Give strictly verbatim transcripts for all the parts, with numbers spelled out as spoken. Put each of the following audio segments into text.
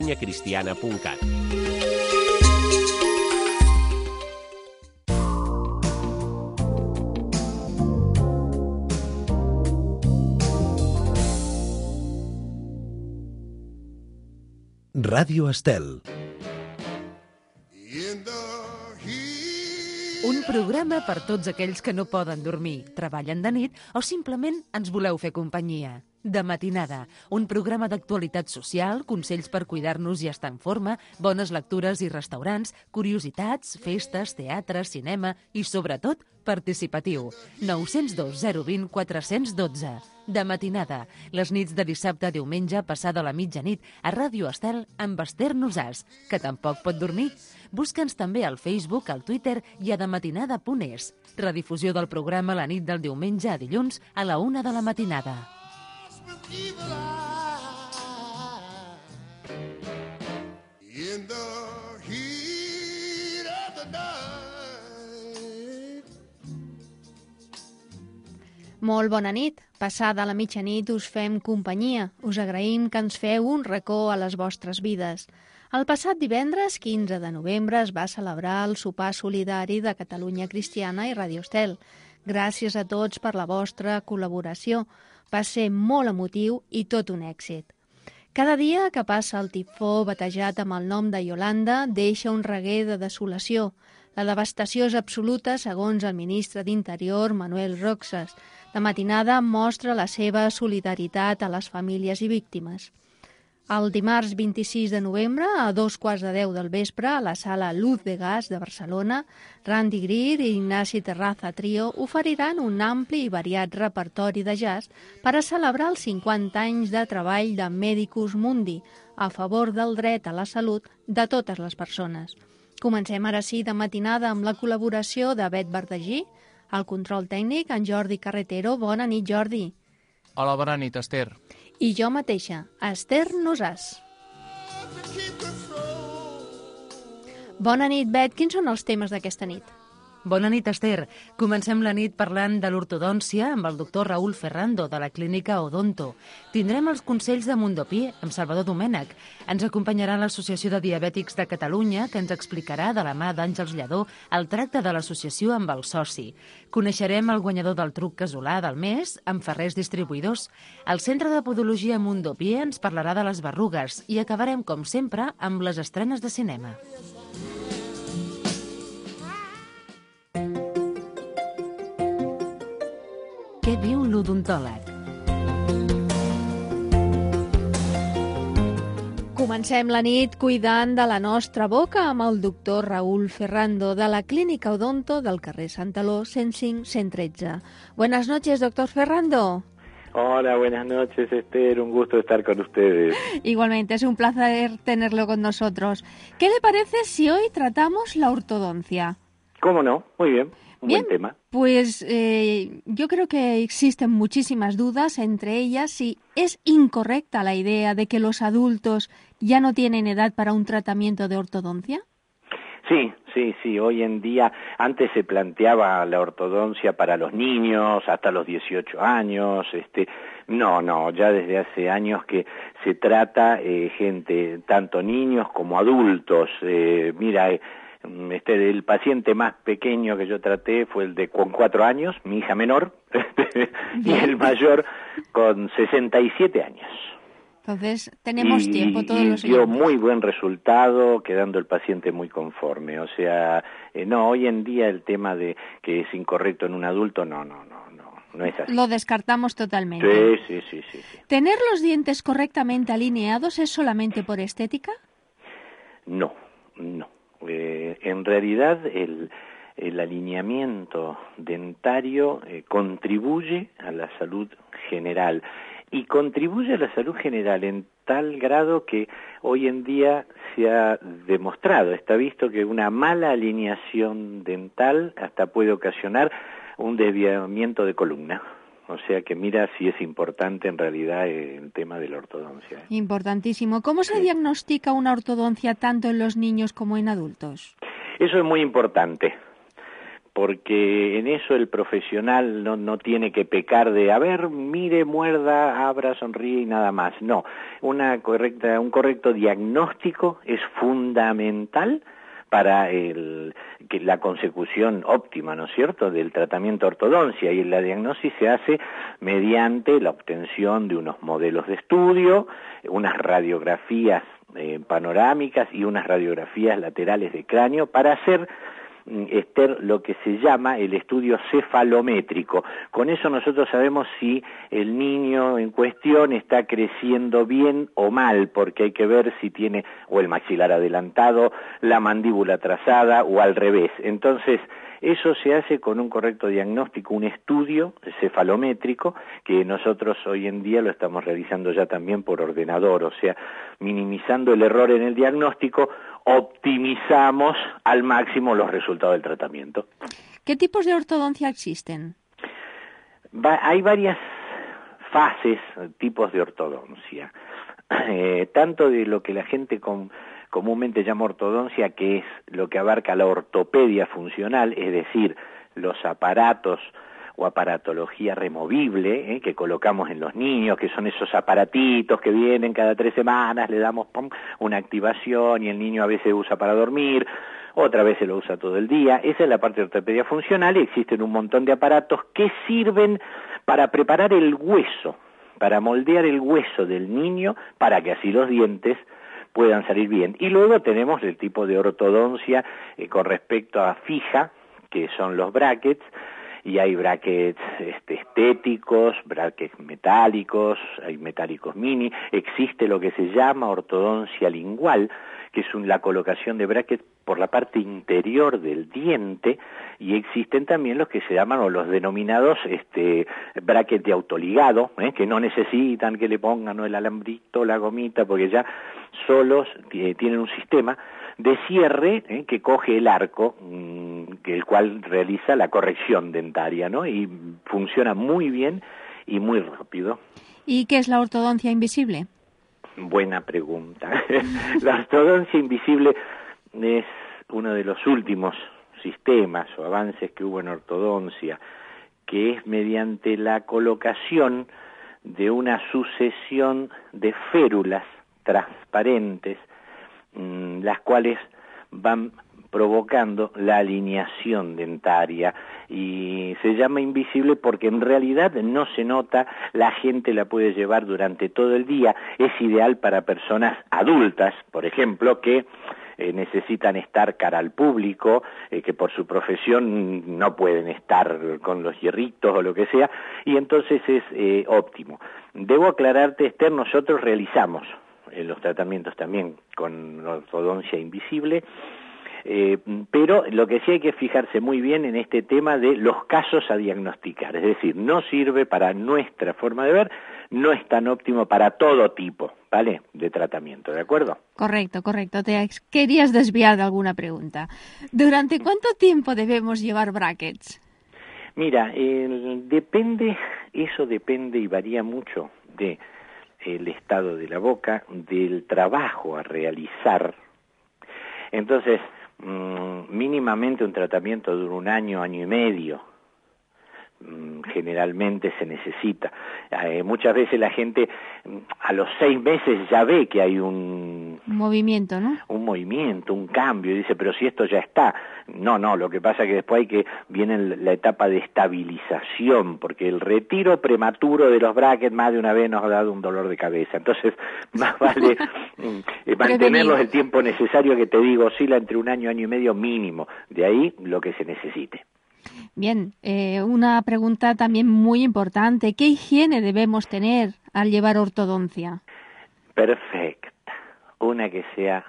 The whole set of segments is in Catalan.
catalunya cristiana punt cat. Ràdio Estel. Un programa per tots aquells que no poden dormir, treballen de nit o simplement ens voleu fer companyia. De matinada, un programa d'actualitat social, consells per cuidar-nos i estar en forma, bones lectures i restaurants, curiositats, festes, teatre, cinema i, sobretot, participatiu. nou zero dos zero dos zero quatre un dos. De matinada, les nits de dissabte a diumenge passada la mitjanit a Ràdio Estel amb Esther Nosàs, que tampoc pot dormir. Busca'ns també al Facebook, al Twitter i a dematinada punt es. Redifusió del programa la nit del diumenge a dilluns a la una de la matinada. Molt bona nit. Passada la mitjanit us fem companyia. Us agraïm que ens feu un racó a les vostres vides. El passat divendres, quinze de novembre, es va celebrar el sopar solidari de Catalunya Cristiana i Ràdio Estel. Gràcies a tots per la vostra col·laboració. Va ser molt emotiu i tot un èxit. Cada dia que passa el tifó batejat amb el nom de Iolanda deixa un reguer de desolació. La devastació és absoluta, segons el ministre d'Interior, Manuel Roxas. De matinada mostra la seva solidaritat a les famílies i víctimes. El dimarts vint-i-sis de novembre, a dos quarts de deu del vespre, a la sala Luz de Gas de Barcelona, Randy Greer i Ignasi Terraza Trio oferiran un ampli i variat repertori de jazz per a celebrar els cinquanta anys de treball de Medicus Mundi a favor del dret a la salut de totes les persones. Comencem ara sí de matinada amb la col·laboració de Bet Verdagí, al control tècnic, en Jordi Carretero. Bona nit, Jordi. Hola, bona nit, Esther. I jo mateixa, Esther Nosàs. Bona nit, Bet. Quins són els temes d'aquesta nit? Bona nit, Esther. Comencem la nit parlant de l'ortodòncia amb el doctor Raúl Ferrando, de la clínica Odonto. Tindrem els consells de Mundopí amb Salvador Domènech. Ens acompanyarà l'Associació de Diabètics de Catalunya, que ens explicarà de la mà d'Àngels Lledó el tracte de l'associació amb el soci. Coneixerem el guanyador del truc casolà del mes amb Ferrers Distribuïdors. El Centre de Podologia Mundopí ens parlarà de les berrugues i acabarem, com sempre, amb les estrenes de cinema. Què diu l'odontòleg? Comencem la nit cuidant de la nostra boca amb el doctor Raúl Ferrando de la clínica Odonto del carrer Santaló cent cinc cent tretze. Buenas noches, doctor Ferrando. Hola, buenas noches, Esther. Un gusto estar con ustedes. Igualmente, es un placer tenerlo con nosotros. ¿Qué le parece si hoy tratamos la ortodoncia? ¿Cómo no? Muy bien. Un Bien, buen tema. Pues eh, yo creo que existen muchísimas dudas, entre ellas si es incorrecta la idea de que los adultos ya no tienen edad para un tratamiento de ortodoncia. Sí, sí, sí. Hoy en día, antes se planteaba la ortodoncia para los niños hasta los dieciocho años. Este, no, no, ya desde hace años que se trata eh, gente, tanto niños como adultos. Eh, mira, eh, Este, el paciente más pequeño que yo traté fue el de con cuatro años, mi hija menor, y el mayor con sesenta y siete años. Entonces, tenemos y, tiempo todos y los dio oyentes. muy buen resultado, quedando el paciente muy conforme. O sea, eh, no, hoy en día el tema de que es incorrecto en un adulto, no, no, no, no, no es así. Lo descartamos totalmente. Sí, sí, sí, sí, sí. ¿Tener los dientes correctamente alineados es solamente por estética? No, no. Eh, en realidad el, el alineamiento dentario eh, contribuye a la salud general y contribuye a la salud general en tal grado que hoy en día se ha demostrado, está visto que una mala alineación dental hasta puede ocasionar un desviamiento de columna. O sea que mira si es importante en realidad el tema de la ortodoncia. Importantísimo. ¿Cómo se sí. diagnostica una ortodoncia tanto en los niños como en adultos? Eso es muy importante, porque en eso el profesional no, no tiene que pecar de, a ver, mire, muerda, abra, sonríe y nada más. No, una correcta, un correcto diagnóstico es fundamental para el, que la consecución óptima, ¿no es cierto?, del tratamiento de ortodoncia, y la diagnosis se hace mediante la obtención de unos modelos de estudio, unas radiografías eh, panorámicas y unas radiografías laterales de cráneo para hacer, Esther, lo que se llama el estudio cefalométrico. Con eso nosotros sabemos si el niño en cuestión está creciendo bien o mal, porque hay que ver si tiene o el maxilar adelantado, la mandíbula atrasada o al revés. Entonces, eso se hace con un correcto diagnóstico, un estudio cefalométrico, que nosotros hoy en día lo estamos realizando ya también por ordenador, o sea, minimizando el error en el diagnóstico, optimizamos al máximo los resultados del tratamiento. ¿Qué tipos de ortodoncia existen? Va, hay varias fases, tipos de ortodoncia, eh, tanto de lo que la gente con, comúnmente llama ortodoncia, que es lo que abarca la ortopedia funcional, es decir, los aparatos o aparatología removible eh, que colocamos en los niños, que son esos aparatitos que vienen cada tres semanas, le damos pum, una activación y el niño a veces usa para dormir, otra vez se lo usa todo el día. Esa es la parte de ortopedia funcional, y existen un montón de aparatos que sirven para preparar el hueso, para moldear el hueso del niño, para que así los dientes puedan salir bien. Y luego tenemos el tipo de ortodoncia eh, con respecto a fija, que son los brackets, y hay brackets este, estéticos, brackets metálicos, hay metálicos mini, existe lo que se llama ortodoncia lingual, que es un, la colocación de brackets por la parte interior del diente, y existen también los que se llaman, o los denominados este, brackets de autoligado, ¿eh? que no necesitan que le pongan ¿no? el alambrito, la gomita, porque ya solos eh, tienen un sistema de cierre eh, que coge el arco, mmm, que el cual realiza la corrección dentaria, ¿no? Y funciona muy bien y muy rápido. ¿Y qué es la ortodoncia invisible? Buena pregunta. La ortodoncia invisible es uno de los últimos sistemas o avances que hubo en ortodoncia, que es mediante la colocación de una sucesión de férulas transparentes, mmm, las cuales van provocando la alineación dentaria, y se llama invisible porque en realidad no se nota, la gente la puede llevar durante todo el día, es ideal para personas adultas, por ejemplo, que eh, necesitan estar cara al público, eh, que por su profesión no pueden estar con los hierritos o lo que sea, y entonces es eh, óptimo. Debo aclararte, Esther, nosotros realizamos eh, los tratamientos también con ortodoncia invisible, Eh, pero lo que sí hay que fijarse muy bien en este tema de los casos a diagnosticar, es decir, no sirve para nuestra forma de ver, no es tan óptimo para todo tipo, ¿vale?, de tratamiento, ¿de acuerdo? Correcto, correcto. Te querías desviar de alguna pregunta. ¿Durante cuánto tiempo debemos llevar brackets? Mira, eh, depende, eso depende y varía mucho de el estado de la boca, del trabajo a realizar. Entonces, mínimamente un tratamiento dura un año, año y medio, generalmente se necesita. Eh, muchas veces la gente a los seis meses ya ve que hay un, un movimiento, ¿no? Un movimiento, un cambio, y dice, pero si esto ya está. No, no, lo que pasa es que después hay que, viene la etapa de estabilización, porque el retiro prematuro de los brackets más de una vez nos ha dado un dolor de cabeza. Entonces, más vale eh, mantenerlos el tiempo necesario, que te digo, oscila entre un año, año y medio mínimo. De ahí lo que se necesite. Bien, eh, una pregunta también muy importante. ¿Qué higiene debemos tener al llevar ortodoncia? Perfecta. Una que sea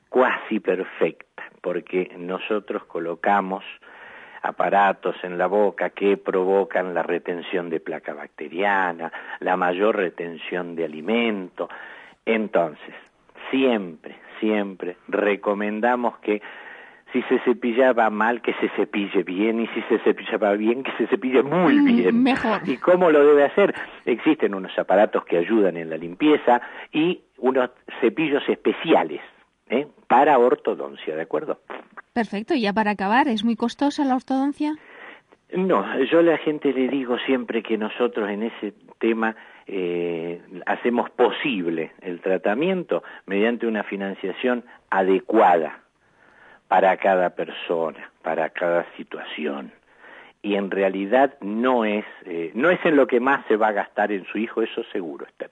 cuasi perfecta, porque nosotros colocamos aparatos en la boca que provocan la retención de placa bacteriana, la mayor retención de alimento. Entonces, siempre, siempre recomendamos que si se cepillaba mal, que se cepille bien, y si se cepillaba bien, que se cepille muy bien. Mejor. ¿Y cómo lo debe hacer? Existen unos aparatos que ayudan en la limpieza y unos cepillos especiales, ¿eh?, para ortodoncia, ¿de acuerdo? Perfecto. Y ya para acabar, ¿es muy costosa la ortodoncia? No, yo a la gente le digo siempre que nosotros en ese tema eh, hacemos posible el tratamiento mediante una financiación adecuada para cada persona, para cada situación. Y en realidad no es eh, no es en lo que más se va a gastar en su hijo, eso seguro, Esther.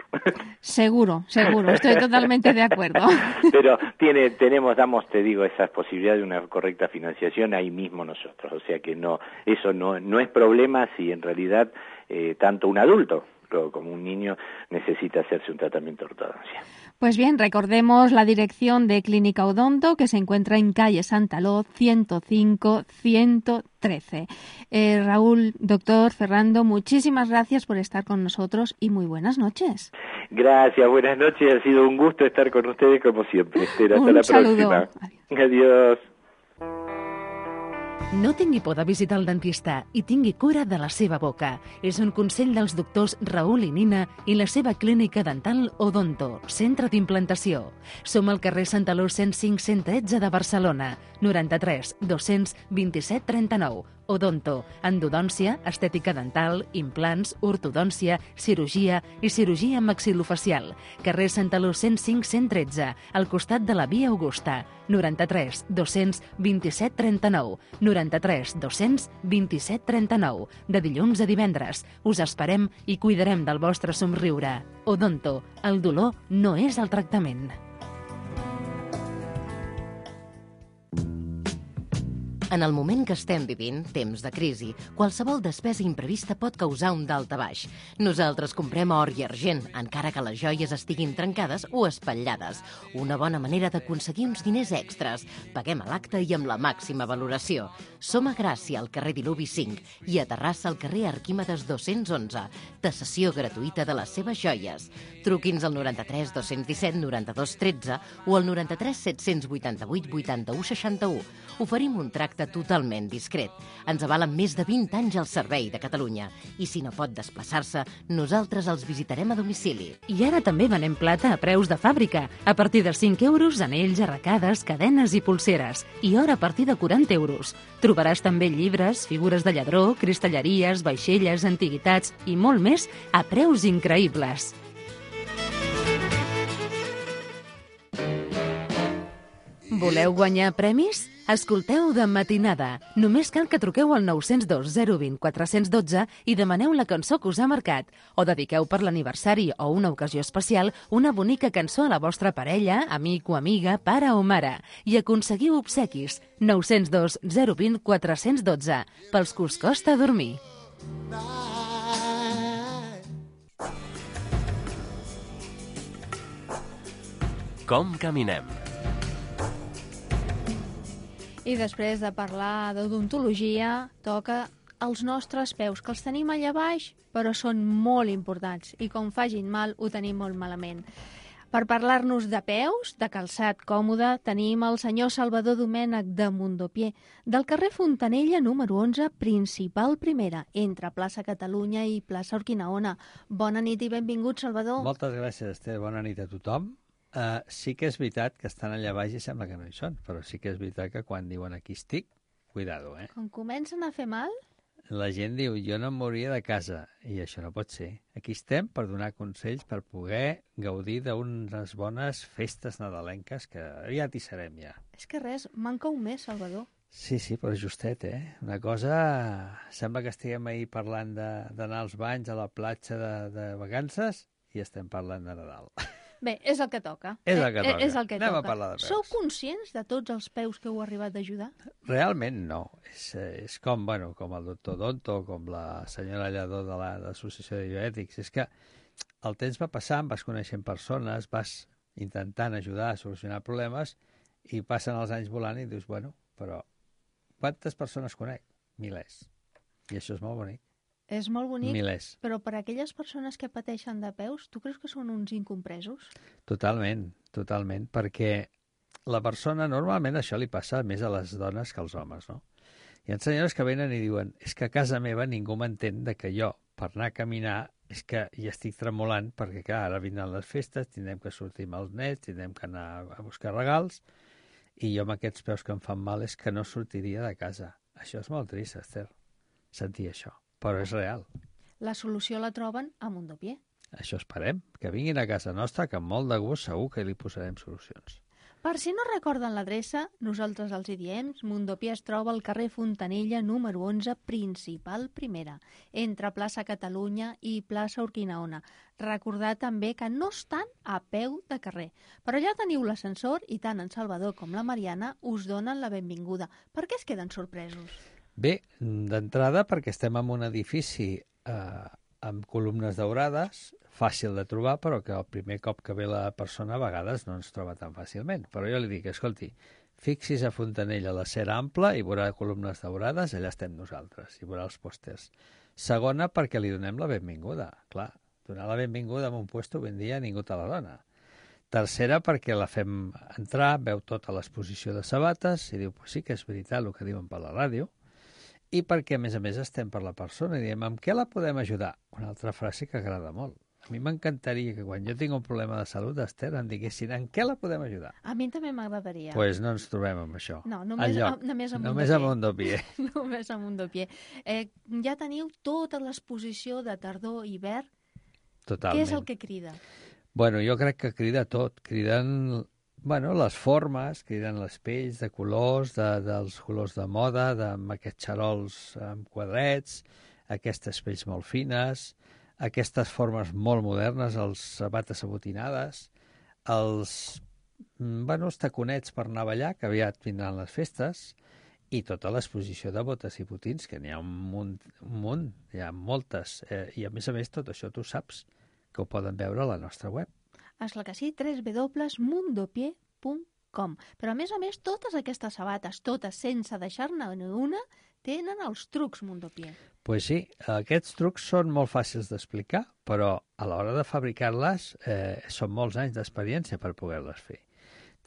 Seguro, seguro, estoy totalmente de acuerdo. Pero tiene, tenemos, damos, te digo, esa posibilidad de una correcta financiación ahí mismo nosotros, o sea que no, eso no, no es problema si en realidad eh, tanto un adulto como un niño necesita hacerse un tratamiento de ortodoncia. Pues bien, recordemos la dirección de Clínica Odonto, que se encuentra en calle Santaló, ciento cinco, ciento trece. Eh, Raúl, doctor Ferrando, muchísimas gracias por estar con nosotros y muy buenas noches. Gracias, buenas noches, ha sido un gusto estar con ustedes como siempre. Esther, hasta un la saludo. próxima. Adiós. No tingui por de visitar el dentista i tingui cura de la seva boca. És un consell dels doctors Raül i Nina i la seva clínica dental Odonto, centre d'implantació. Som al carrer Santaló cent cinc cent tretze de Barcelona, noranta-tres dos-cents vint-i-set trenta-nou. Odonto, endodòncia, estètica dental, implants, ortodòncia, cirurgia i cirurgia maxilofacial. Carrer Santaló cent cinc cent tretze, al costat de la Via Augusta, noranta-tres dos-cents vint-i-set trenta-nou, noranta-tres dos-cents vint-i-set trenta-nou, de dilluns a divendres. Us esperem i cuidarem del vostre somriure. Odonto, el dolor no és el tractament. En el moment que estem vivint, temps de crisi, qualsevol despesa imprevista pot causar un daltabaix. Nosaltres comprem or i argent, encara que les joies estiguin trencades o espatllades. Una bona manera d'aconseguir uns diners extras. Paguem a l'acte i amb la màxima valoració. Som a Gràcia, al carrer Diluvi cinc, i a Terrassa, al carrer Arquímedes dos-cents onze. Tasació gratuïta de les seves joies. Truqui'ns al noranta-tres dos-cents disset noranta-dos tretze o al noranta-tres set-cents vuitanta-vuit vuitanta-u seixanta-u. Oferim un tracte totalment discret. Ens avalen més de vint anys al servei de Catalunya. I si no pot desplaçar-se, nosaltres els visitarem a domicili. I ara també venem plata a preus de fàbrica. A partir de cinc euros, anells, arracades, cadenes i pulseres. I or a partir de quaranta euros. Trobaràs també llibres, figures de lladró, cristalleries, vaixelles, antiguitats i molt més a preus increïbles. Voleu guanyar premis? Escolteu De Matinada. Només cal que truqueu al nou zero dos zero dos zero quatre un dos i demaneu la cançó que us ha marcat. O dediqueu per l'aniversari o una ocasió especial una bonica cançó a la vostra parella, amic o amiga, pare o mare. I aconseguiu obsequis. nou zero dos zero dos zero quatre un dos. Pels que us costa dormir. Com caminem? I després de parlar d'odontologia, toca els nostres peus, que els tenim allà baix, però són molt importants. I com facin mal, ho tenim molt malament. Per parlar-nos de peus, de calçat còmode, tenim el senyor Salvador Domènech de Mundopié, del carrer Fontanella número onze, principal primera, entre plaça Catalunya i plaça Urquinaona. Bona nit i benvingut, Salvador. Moltes gràcies, Esther. Bona nit a tothom. Uh, sí que és veritat que estan allà baix i sembla que no hi són, però sí que és veritat que quan diuen aquí estic, cuidado, eh? Quan comencen a fer mal? La gent diu, jo no em mouria de casa, i això no pot ser. Aquí estem per donar consells per poder gaudir d'unes bones festes nadalenques que aviat hi serem ja. És que res, manca un mes, Salvador. Sí, sí, però justet, eh? Una cosa... Sembla que estiguem ahir parlant d'anar als banys a la platja de, de vacances i estem parlant de Nadal. Bé, és el que toca. És el que toca. Eh, és el que Anem toca. a parlar de peus. Sou conscients de tots els peus que heu arribat a ajudar? Realment no. És, és com, bueno, com el doctor Donto, com la senyora Lladó de l'Associació de Bioètics. És que el temps va passant, vas coneixent persones, vas intentant ajudar a solucionar problemes i passen els anys volant i dius, bueno, però quantes persones conec? Milers. I això és molt bonic. És molt bonic, Milers. Però per a aquelles persones que pateixen de peus, tu creus que són uns incompresos? Totalment, totalment, perquè la persona, normalment això li passa més a les dones que als homes, no? Hi ha senyores que venen i diuen, és que a casa meva ningú m'entén de que jo, per anar a caminar, és que hi estic tremolant, perquè clar, ara vindran les festes, tindrem que sortir amb els nets, tindrem que anar a buscar regals, i jo amb aquests peus que em fan mal és que no sortiria de casa. Això és molt trist, Esther, sentir això, però és real. La solució la troben a Mundopié. Això esperem, que vinguin a casa nostra, que amb molt de gust segur que li posarem solucions. Per si no recorden l'adreça, nosaltres els hi diem, Mundopié es troba al carrer Fontanella número onze, principal primera, entre plaça Catalunya i plaça Urquinaona. Recordar també que no estan a peu de carrer, però allà teniu l'ascensor i tant en Salvador com la Mariana us donen la benvinguda. Per què es queden sorpresos? Bé, d'entrada perquè estem en un edifici eh, amb columnes daurades, fàcil de trobar, però que el primer cop que ve la persona a vegades no ens troba tan fàcilment. Però jo li dic, escolti, fixis a Fontanella la cera ampla i veurà columnes daurades, allà estem nosaltres, i veurà els pòsters. Segona, perquè li donem la benvinguda. Clar, donar la benvinguda en un puesto ben dia ningú te la dona. Tercera, perquè la fem entrar, veu tota l'exposició de sabates i diu, pues sí que és veritat el que diuen per la ràdio, i perquè, a més a més, estem per la persona i diem, amb què la podem ajudar? Una altra frase que agrada molt. A mi m'encantaria que quan jo tinc un problema de salut, Esther, em diguessin en què la podem ajudar. A mi també m'agradaria. Doncs pues no ens trobem amb això. No, només, Enlloc. a, només a Només a Mundopié. Només a Mundopié. Eh, ja teniu tota l'exposició de tardor-hivern. Totalment. Què és el que crida? Bueno, jo crec que crida tot. Criden bueno, les formes, criden les pells de colors, de, dels colors de moda, de, amb aquests xarols amb quadrets, aquestes pells molt fines, aquestes formes molt modernes, els sabates abotinades, els, bueno, els taconets per anar a ballar, que aviat vindran les festes, i tota l'exposició de botes i botins, que n'hi ha un munt, un munt, hi ha moltes. Eh, I a més a més tot això tu saps que ho poden veure a la nostra web. Esclar que sí, w w w punt mundopié punt com. Però a més a més totes aquestes sabates, totes sense deixar-ne ni una, tenen els trucs Mundopié. Pues sí, aquests trucs són molt fàcils d'explicar, però a l'hora de fabricar-les eh, són molts anys d'experiència per poder-les fer.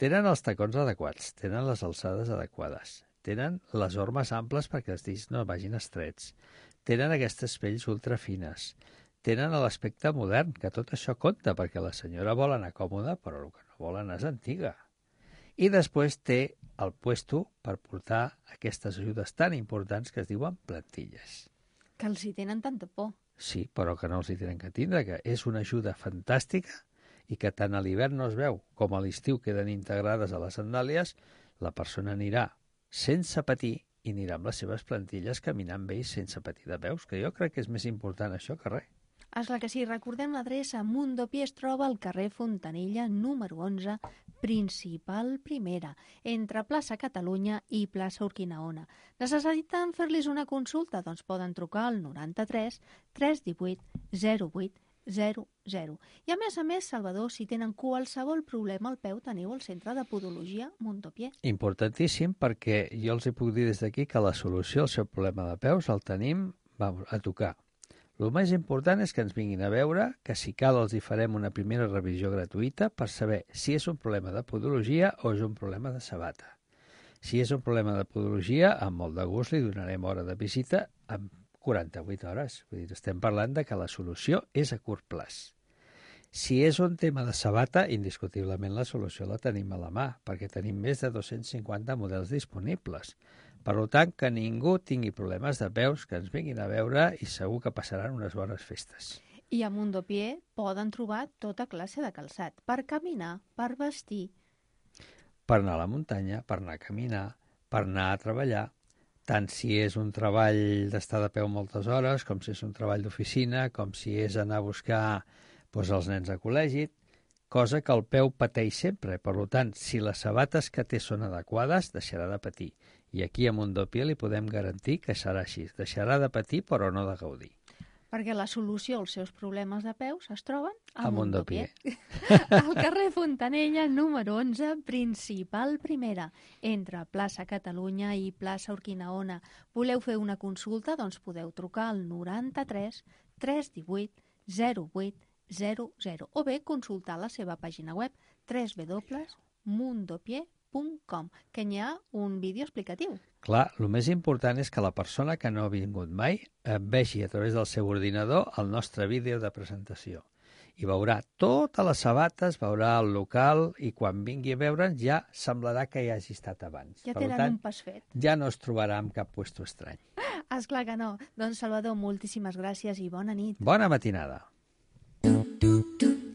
Tenen els tacons adequats, tenen les alçades adequades, tenen les ormes amples perquè els dits no vagin estrets, tenen aquestes pells ultrafines, tenen l'aspecte modern, que tot això compta, perquè la senyora vol anar còmoda, però el que no vol anar és antiga. I després té el puesto per portar aquestes ajudes tan importants que es diuen plantilles. Que els hi tenen tanta por. Sí, però que no els hi tenen que tindre, que és una ajuda fantàstica i que tant a l'hivern no es veu com a l'estiu queden integrades a les sandàlies, la persona anirà sense patir i anirà amb les seves plantilles caminant bé i sense patir de peus, que jo crec que és més important això que res. Esclar que sí, recordem l'adreça. Mundopié es troba al carrer Fontanella número onze, principal primera, entre plaça Catalunya i plaça Urquinaona. Necessiten fer-los una consulta? Doncs poden trucar al noranta-tres tres divuit zero vuit zero zero. I a més a més, Salvador, si tenen qualsevol problema al peu, teniu el Centre de Podologia Mundopié. Importantíssim, perquè jo els hi puc dir des d'aquí que la solució al seu problema de peus el tenim vamos, a tocar. El més important és que ens vinguin a veure, que si cal els hi farem una primera revisió gratuïta per saber si és un problema de podologia o és un problema de sabata. Si és un problema de podologia, amb molt de gust li donarem hora de visita en quaranta-vuit hores. Vull dir, estem parlant de que la solució és a curt plaç. Si és un tema de sabata, indiscutiblement la solució la tenim a la mà, perquè tenim més de dos-cents cinquanta models disponibles. Per tant, que ningú tingui problemes de peus, que ens vinguin a veure i segur que passaran unes bones festes. I a Mundopié poden trobar tota classe de calçat, per caminar, per vestir. Per anar a la muntanya, per anar a caminar, per anar a treballar, tant si és un treball d'estar de peu moltes hores, com si és un treball d'oficina, com si és anar a buscar doncs, els nens a col·legi, cosa que el peu pateix sempre. Per tant, si les sabates que té són adequades, deixarà de patir. I aquí a Mundopié li podem garantir que serà així. Deixarà de patir, però no de gaudir. Perquè la solució als seus problemes de peus es troben a, a Mundopié. Al carrer Fontanella, número onze, principal primera, entre plaça Catalunya i plaça Urquinaona. Voleu fer una consulta? Doncs podeu trucar al noranta-tres tres divuit zero vuit zero zero o bé consultar la seva pàgina web w w w punt mundopié punt com, que hi ha un vídeo explicatiu. Clar, el més important és que la persona que no ha vingut mai vegi a través del seu ordinador el nostre vídeo de presentació i veurà totes les sabates, veurà el local i quan vingui a veure'ns ja semblarà que hi hagi estat abans. Ja per tenen tant, un pas fet. Ja no es trobarà en cap puesto estrany. Esclar que no. Doncs Salvador, moltíssimes gràcies i bona nit. Bona matinada.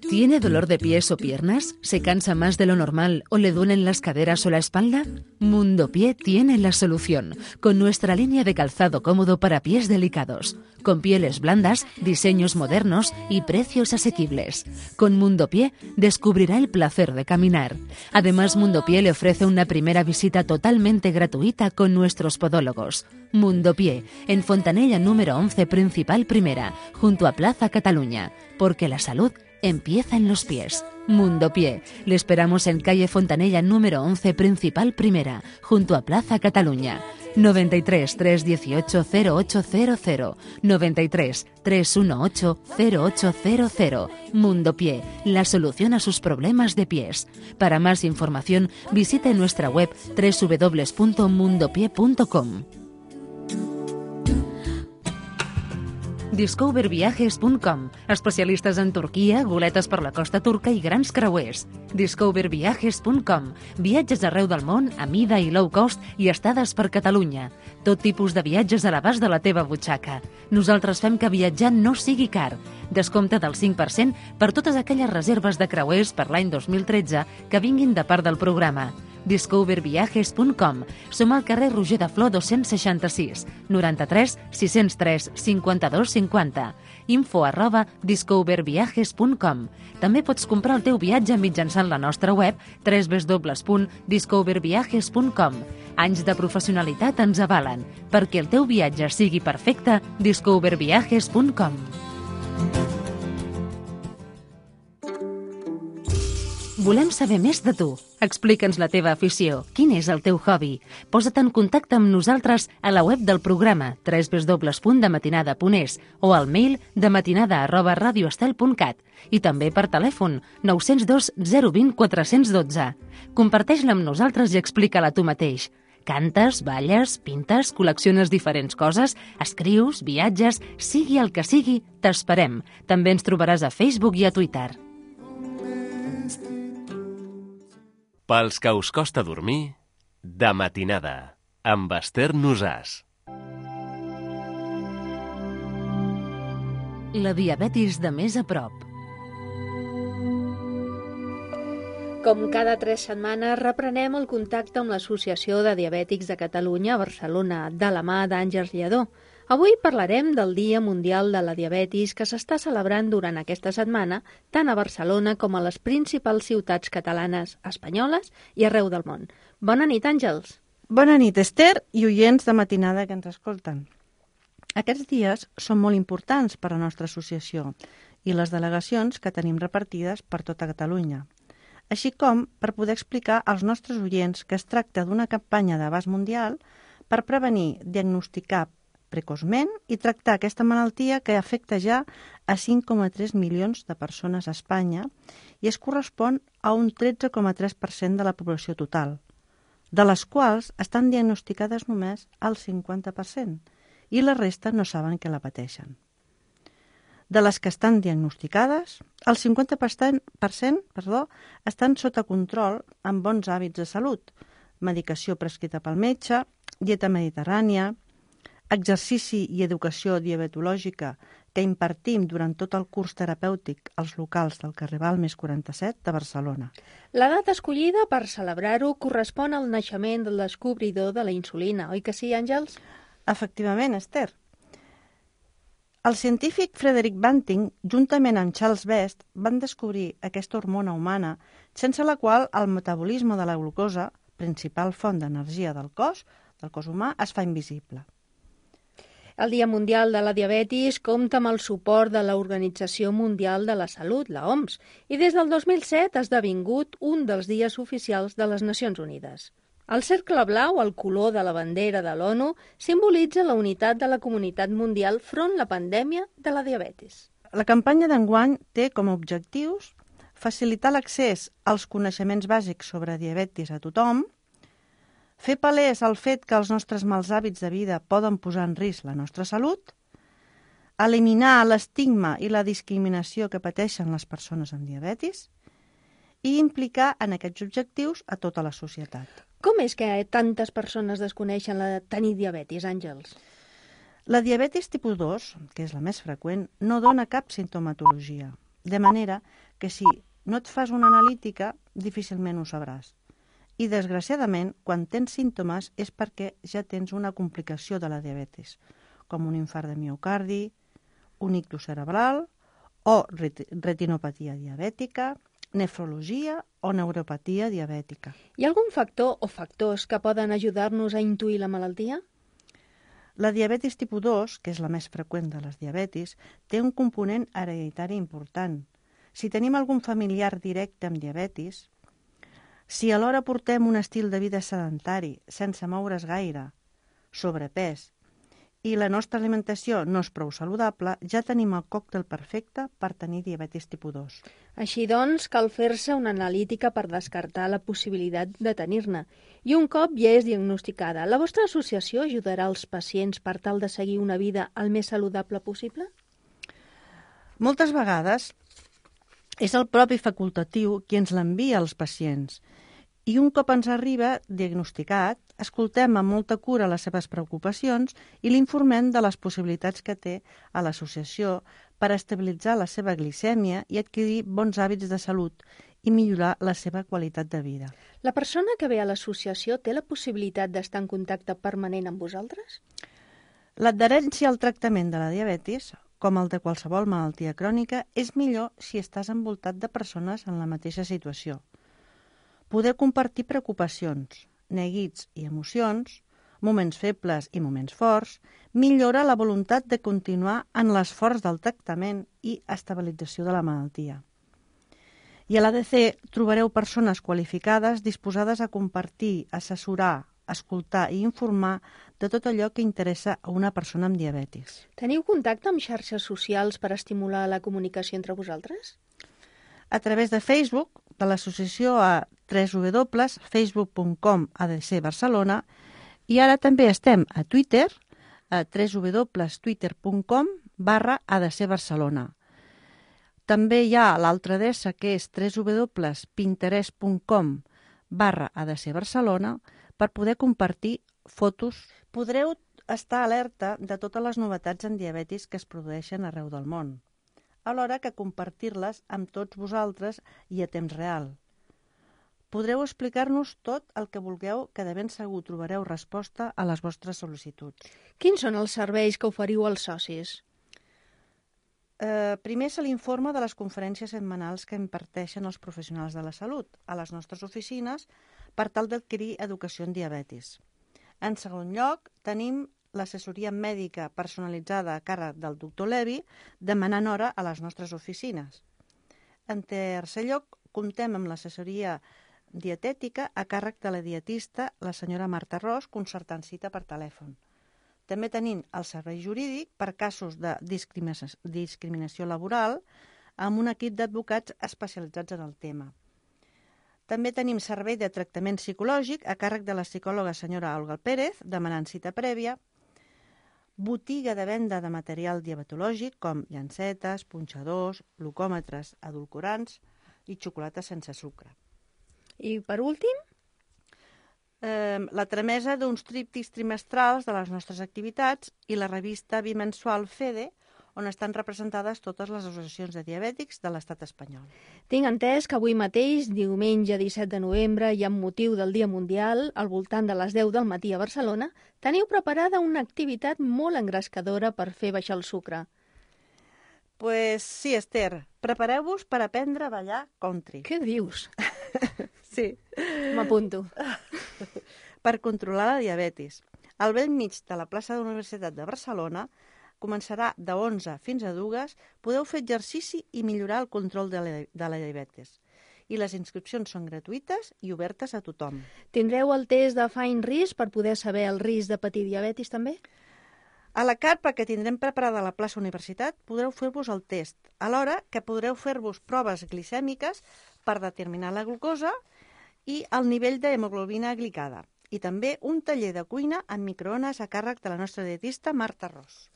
¿Tiene dolor de pies o piernas? ¿Se cansa más de lo normal o le duelen las caderas o la espalda? Mundo Pie tiene la solución, con nuestra línea de calzado cómodo para pies delicados, con pieles blandas, diseños modernos y precios asequibles. Con Mundo Pie descubrirá el placer de caminar. Además, Mundo Pie le ofrece una primera visita totalmente gratuita con nuestros podólogos. Mundo Pie, en Fontanella número once, Principal Primera, junto a Plaza Cataluña, porque la salud empieza en los pies. Mundo Pie. Le esperamos en calle Fontanella número once, Principal Primera, junto a Plaza Cataluña. noventa y tres, trescientos dieciocho, cero ocho cero cero. noventa y tres, trescientos dieciocho, cero ocho cero cero. Mundo Pie, la solución a sus problemas de pies. Para más información, visite nuestra web doble u doble u doble u punto mundo pie punto com. discover viajes punt com, especialistes en Turquia, goletes per la costa turca i grans creuers. discover viajes punt com, viatges arreu del món a mida i low cost i estades per Catalunya. Tot tipus de viatges a l'abast de la teva butxaca. Nosaltres fem que viatjar no sigui car. Descompte del cinc per cent per totes aquelles reserves de creuers per l'any dos mil tretze que vinguin de part del programa. discover viajes punt com. Som al carrer Roger de Flor dos-cents seixanta-sis, noranta-tres, sis-cents tres, cinquanta-dos cinquanta. Info arroba discover viajes punt com. També pots comprar el teu viatge mitjançant la nostra web doble u doble u doble u punt discover viajes punt com. Anys de professionalitat ens avalen. Perquè el teu viatge sigui perfecte, discover viajes punt com. Volem saber més de tu. Explica'ns la teva afició. Quin és el teu hobby? Posa't en contacte amb nosaltres a la web del programa doble u doble u doble u punt dematinada punt es o al mail dematinada arroba radioestel punt cat i també per telèfon nou zero dos, zero dos zero, quatre un dos. Comparteix-la amb nosaltres i explica-la tu mateix. Cantes, balles, pintes, col·lecciones diferents coses, escrius, viatges, sigui el que sigui, t'esperem. També ens trobaràs a Facebook i a Twitter. Pels que us costa dormir, de matinada, amb Esther Nosàs. La diabetis de més a prop. Com cada tres setmanes, reprenem el contacte amb l'Associació de Diabètics de Catalunya a Barcelona, de la mà d'Àngels Lledó. Avui parlarem del Dia Mundial de la Diabetis que s'està celebrant durant aquesta setmana tant a Barcelona com a les principals ciutats catalanes, espanyoles i arreu del món. Bona nit, Àngels. Bona nit, Esther i oients de matinada que ens escolten. Aquests dies són molt importants per a la nostra associació i les delegacions que tenim repartides per tota Catalunya, així com per poder explicar als nostres oients que es tracta d'una campanya d'abast mundial per prevenir, diagnosticar precoçment i tractar aquesta malaltia que afecta ja a cinc coma tres milions de persones a Espanya i es correspon a un tretze coma tres per cent de la població total, de les quals estan diagnosticades només el cinquanta per cent i la resta no saben que la pateixen. De les que estan diagnosticades, el cinquanta per cent, per cent perdó, estan sota control amb bons hàbits de salut, medicació prescrita pel metge, dieta mediterrània, exercici i educació diabetològica que impartim durant tot el curs terapèutic als locals del carrer Balmes quaranta-set de Barcelona. La data escollida per celebrar-ho correspon al naixement del descobridor de la insulina, oi que sí, Àngels? Efectivament, Esther. El científic Frederick Banting, juntament amb Charles Best, van descobrir aquesta hormona humana sense la qual el metabolisme de la glucosa, principal font d'energia del cos, del cos humà, es fa invisible. El Dia Mundial de la Diabetis compta amb el suport de l'Organització Mundial de la Salut, la O M S, i des del dos mil set ha esdevingut un dels dies oficials de les Nacions Unides. El cercle blau, el color de la bandera de l'ONU, simbolitza la unitat de la comunitat mundial front la pandèmia de la diabetis. La campanya d'enguany té com a objectius facilitar l'accés als coneixements bàsics sobre diabetis a tothom, fer palès el fet que els nostres mals hàbits de vida poden posar en risc la nostra salut, eliminar l'estigma i la discriminació que pateixen les persones amb diabetis i implicar en aquests objectius a tota la societat. Com és que tantes persones desconeixen la de tenir diabetis, Àngels? La diabetis tipus dos, que és la més freqüent, no dona cap sintomatologia, de manera que si no et fas una analítica, difícilment ho sabràs. I, desgraciadament, quan tens símptomes és perquè ja tens una complicació de la diabetis, com un infart de miocardi, un ictus cerebral o retinopatia diabètica, nefrologia o neuropatia diabètica. Hi ha algun factor o factors que poden ajudar-nos a intuir la malaltia? La diabetis tipus dos, que és la més freqüent de les diabetis, té un component hereditari important. Si tenim algun familiar directe amb diabetis, si alhora portem un estil de vida sedentari, sense moure's gaire, sobrepès, i la nostra alimentació no és prou saludable, ja tenim el còctel perfecte per tenir diabetis tipus dos. Així doncs, cal fer-se una analítica per descartar la possibilitat de tenir-ne. I un cop ja és diagnosticada, la vostra associació ajudarà els pacients per tal de seguir una vida el més saludable possible? Moltes vegades és el propi facultatiu qui ens l'envia als pacients i un cop ens arriba diagnosticat, escoltem amb molta cura les seves preocupacions i l'informem de les possibilitats que té a l'associació per estabilitzar la seva glicèmia i adquirir bons hàbits de salut i millorar la seva qualitat de vida. La persona que ve a l'associació té la possibilitat d'estar en contacte permanent amb vosaltres? L'adherència al tractament de la diabetis, com el de qualsevol malaltia crònica, és millor si estàs envoltat de persones en la mateixa situació. Poder compartir preocupacions, neguits i emocions, moments febles i moments forts, millora la voluntat de continuar en l'esforç del tractament i estabilització de la malaltia. I a l'A D C trobareu persones qualificades disposades a compartir, assessorar, escoltar i informar de tot allò que interessa a una persona amb diabetis. Teniu contacte amb xarxes socials per estimular la comunicació entre vosaltres? A través de Facebook, de l'associació a w w w punt facebook punt com A D C Barcelona i ara també estem a Twitter, a w w w punt twitter punt com barra A D C Barcelona. També hi ha l'altra adreça que és w w w punt pinterest punt com barra A D C Barcelona per poder compartir fotos. Podreu estar alerta de totes les novetats en diabetis que es produeixen arreu del món, alhora que compartir-les amb tots vosaltres i a temps real. Podreu explicar-nos tot el que vulgueu, que de ben segur trobareu resposta a les vostres sol·licituds. Quins són els serveis que oferiu als socis? Eh, primer se l'informa de les conferències setmanals que imparteixen els professionals de la salut a les nostres oficines per tal d'adquirir educació en diabetis. En segon lloc, tenim l'assessoria mèdica personalitzada a càrrec del doctor Levi, demanant hora a les nostres oficines. En tercer lloc, comptem amb l'assessoria dietètica a càrrec de la dietista, la senyora Marta Ros, concertant cita per telèfon. També tenim el servei jurídic per casos de discriminació, discriminació laboral amb un equip d'advocats especialitzats en el tema. També tenim servei de tractament psicològic a càrrec de la psicòloga senyora Olga Pérez, demanant cita prèvia, botiga de venda de material diabetològic com llancetes, punxadors, glucòmetres, edulcorants i xocolata sense sucre. I per últim? Eh, la tramesa d'uns tríptics trimestrals de les nostres activitats i la revista bimensual FEDE, on estan representades totes les associacions de diabètics de l'estat espanyol. Tinc entès que avui mateix, diumenge disset de novembre, i amb motiu del Dia Mundial, al voltant de les deu del matí a Barcelona, teniu preparada una activitat molt engrescadora per fer baixar el sucre. Pues sí, Esther, prepareu-vos per aprendre a ballar country. Què dius? Sí. M'apunto. Per controlar la diabetis. Al bell mig de la plaça de la Universitat de Barcelona començarà de onze fins a dues, podeu fer exercici i millorar el control de la, de la diabetis. I les inscripcions són gratuïtes i obertes a tothom. Tindreu el test de Fine Risk per poder saber el risc de patir diabetis també? A la carpa que tindrem preparada a la plaça Universitat podreu fer-vos el test, alhora que podreu fer-vos proves glicèmiques per determinar la glucosa i el nivell d'hemoglobina glicada. I també un taller de cuina amb microones a càrrec de la nostra dietista Marta Ros.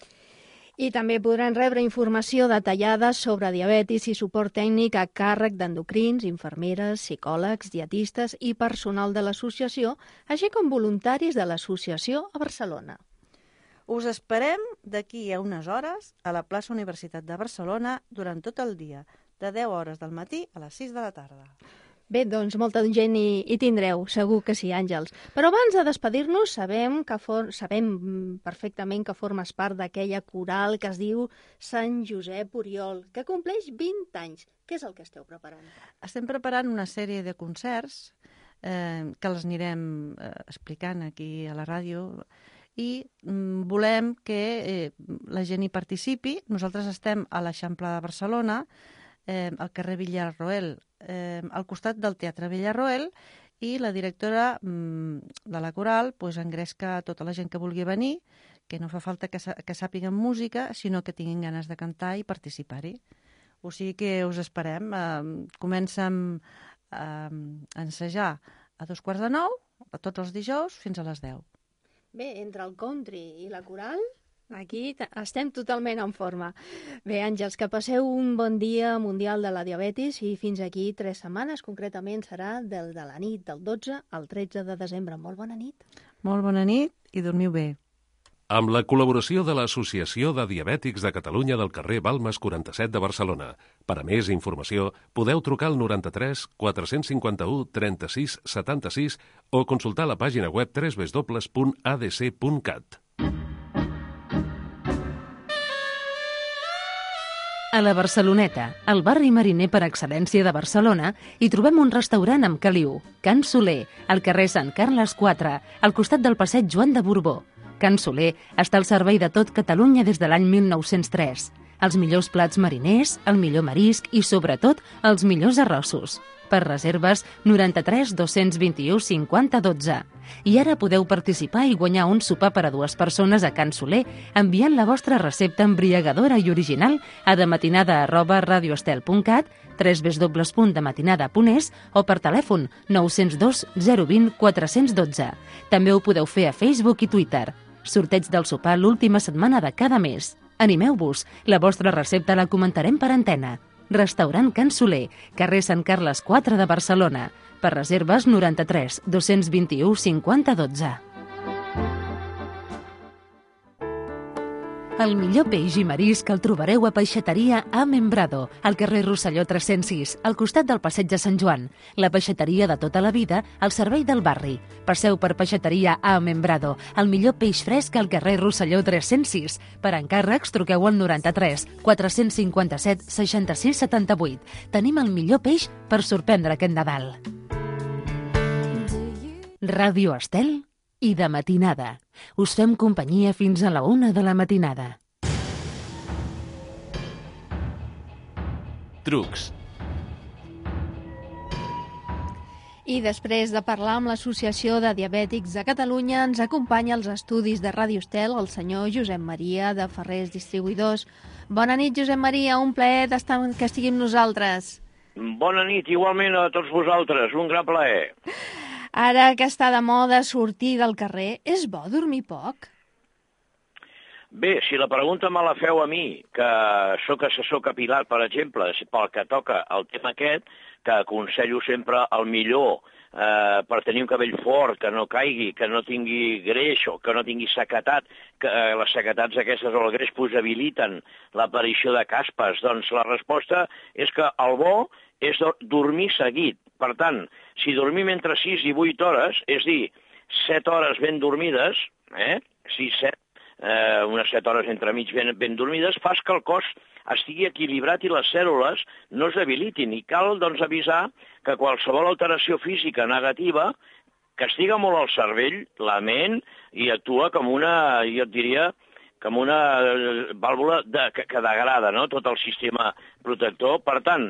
I també podran rebre informació detallada sobre diabetis i suport tècnic a càrrec d'endocrins, infermeres, psicòlegs, dietistes i personal de l'associació, així com voluntaris de l'associació a Barcelona. Us esperem d'aquí a unes hores a la plaça Universitat de Barcelona durant tot el dia, de deu hores del matí a les sis de la tarda. Bé, doncs molta gent hi, hi tindreu, segur que sí, Àngels. Però abans de despedir-nos, sabem, que for... sabem perfectament que formes part d'aquella coral que es diu Sant Josep Oriol, que compleix vint anys. Què és el que esteu preparant? Estem preparant una sèrie de concerts eh, que els anirem eh, explicant aquí a la ràdio i mm, volem que eh, la gent hi participi. Nosaltres estem a l'Eixample de Barcelona, eh, al carrer Villarroel, eh, al costat del Teatre Villarroel, i la directora mm, de la coral pues, engresca tota la gent que vulgui venir, que no fa falta que, que sàpiguen música, sinó que tinguin ganes de cantar i participar-hi. O sigui que us esperem. Eh, comencem eh, a ensejar a dos quarts de nou, a tots els dijous, fins a les deu. Bé, entre el country i la coral, aquí estem totalment en forma. Bé, Àngels, que passeu un bon dia mundial de la diabetis i fins aquí tres setmanes, concretament serà del de la nit del dotze al tretze de desembre. Molt bona nit. Molt bona nit i dormiu bé. Amb la col·laboració de l'Associació de Diabètics de Catalunya del carrer Balmes quaranta-set de Barcelona. Per a més informació, podeu trucar al noranta-tres quatre-cents cinquanta-u trenta-sis setanta-sis o consultar la pàgina web w w w punt a d c punt cat. A la Barceloneta, el barri mariner per excel·lència de Barcelona, hi trobem un restaurant amb caliu, Can Soler, al carrer Sant Carles quatre, al costat del passeig Joan de Borbó. Can Soler està al servei de tot Catalunya des de l'any mil nou-cents tres. Els millors plats mariners, el millor marisc i, sobretot, els millors arrossos. Per reserves, noranta-tres dos-cents vint-i-u cinquanta dotze. I ara podeu participar i guanyar un sopar per a dues persones a Can Soler enviant la vostra recepta embriagadora i original a dematinada arroba radioestel punt cat, w w w punt dematinada punt es o per telèfon nou zero dos zero dos zero quatre un dos. També ho podeu fer a Facebook i Twitter. Sorteig del sopar l'última setmana de cada mes. Animeu-vos, la vostra recepta la comentarem per antena. Restaurant Can Soler, carrer Sant Carles quatre de Barcelona. Per reserves noranta-tres dos-cents vint-i-u cinquanta dotze. El millor peix i marisc el trobareu a Peixateria A Membrado, al carrer Rosselló tres-cents sis, al costat del passeig de Sant Joan. La peixateria de tota la vida, al servei del barri. Passeu per Peixateria A Membrado, el millor peix fresc al carrer Rosselló tres-cents sis. Per encàrrecs, truqueu al noranta-tres quatre-cents cinquanta-set seixanta-sis setanta-vuit. Tenim el millor peix per sorprendre aquest Nadal. Ràdio Estel i de matinada. Us fem companyia fins a la una de la matinada. Trucs. I després de parlar amb l'Associació de Diabètics de Catalunya, ens acompanya als estudis de Ràdio Estel el senyor Josep Maria de Ferrers Distribuïdors. Bona nit, Josep Maria, un plaer d'estar que estigui amb nosaltres. Bona nit, igualment a tots vosaltres, un gran plaer. Ara que està de moda sortir del carrer, és bo dormir poc? Bé, si la pregunta me la feu a mi, que sóc assessor capilar, per exemple, pel que toca el tema aquest, que aconsello sempre el millor eh, per tenir un cabell fort, que no caigui, que no tingui greix o que no tingui sequetat, que eh, les sequetats aquestes o el greix possibiliten l'aparició de caspes, doncs la resposta és que el bo és dormir seguit. Per tant, si dormim entre sis i vuit hores, és dir, set hores ben dormides, eh? sis, set, eh, unes set hores entremig ben, ben dormides, fas que el cos estigui equilibrat i les cèl·lules no es debilitin. I cal doncs, avisar que qualsevol alteració física negativa castiga molt el cervell, la ment, i actua com una, jo et diria, com una vàlvula de, que, que degrada, no?, tot el sistema protector. Per tant,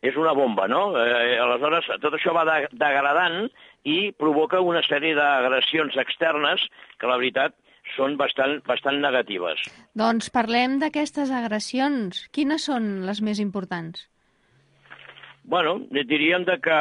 és una bomba, no? Eh, aleshores, tot això va de, degradant i provoca una sèrie d'agressions externes que, la veritat, són bastant, bastant negatives. Doncs parlem d'aquestes agressions. Quines són les més importants? Bueno, diríem de que